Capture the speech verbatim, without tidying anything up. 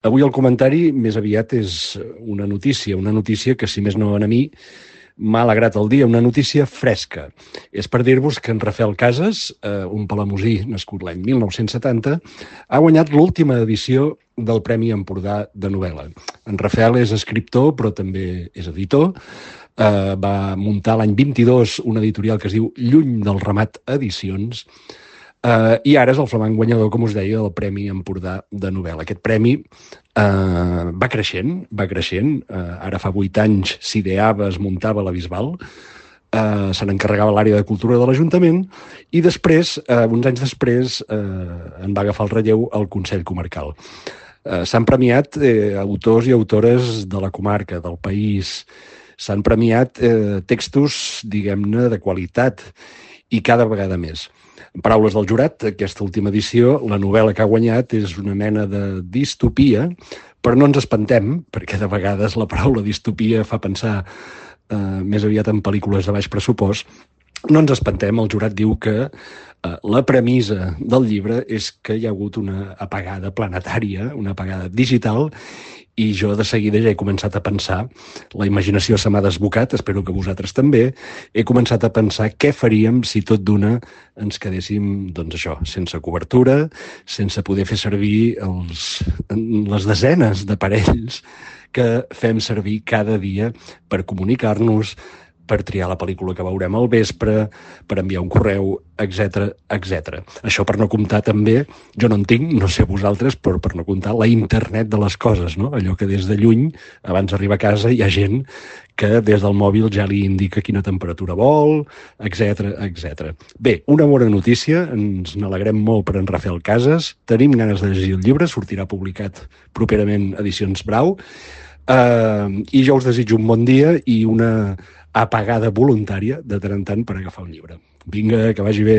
Avui el comentari més aviat és una notícia, una notícia que, si més no a mi, m'ha alegrat el dia, una notícia fresca. És per dir-vos que en Rafael Casas, eh, un palamosí nascut l'any mil nou-cents setanta, ha guanyat l'última edició del Premi Empordà de novel·la. En Rafael és escriptor, però també és editor. Eh, va muntar l'any vint-i-dos una editorial que es diu Lluny del Ramat Edicions, Uh, i ara és el flamant guanyador, com us deia, del Premi Empordà de novel·la. Aquest premi uh, va creixent, va creixent. Uh, ara fa vuit anys s'ideava, es muntava a la Bisbal, uh, se n'encarregava l'àrea de cultura de l'Ajuntament, i després, uh, uns anys després, uh, en va agafar el relleu al Consell Comarcal. Uh, s'han premiat eh, autors i autores de la comarca, del país. S'han premiat eh, textos, diguem-ne, de qualitat, i cada vegada més. En paraules del jurat, aquesta última edició, la novel·la que ha guanyat és una mena de distopia, però no ens espantem, perquè de vegades la paraula distopia fa pensar eh, més aviat en pel·lícules de baix pressupost. No ens espantem, el jurat diu que eh, la premissa del llibre és que hi ha hagut una apagada planetària, una apagada digital, i jo de seguida ja he començat a pensar, la imaginació se m'ha desbocat, espero que vosaltres també, he començat a pensar què faríem si tot d'una ens quedéssim, doncs això, sense cobertura, sense poder fer servir els, les desenes d'aparells que fem servir cada dia per comunicar-nos, per triar la pel·lícula que veurem al vespre, per enviar un correu, etcètera, etcètera. Això per no comptar també, jo no en tinc, no sé vosaltres, però per no comptar la internet de les coses, no? Allò que des de lluny, abans d'arribar a casa, hi ha gent que des del mòbil ja li indica quina temperatura vol, etcètera, etcètera. Bé, una bona notícia, ens n'alegrem molt per en Rafael Casas, tenim ganes de llegir el llibre, sortirà publicat properament Edicions Brau, uh, i jo us desitjo un bon dia i una apagada voluntària de tant en tant per agafar un llibre. Vinga, que vagi bé.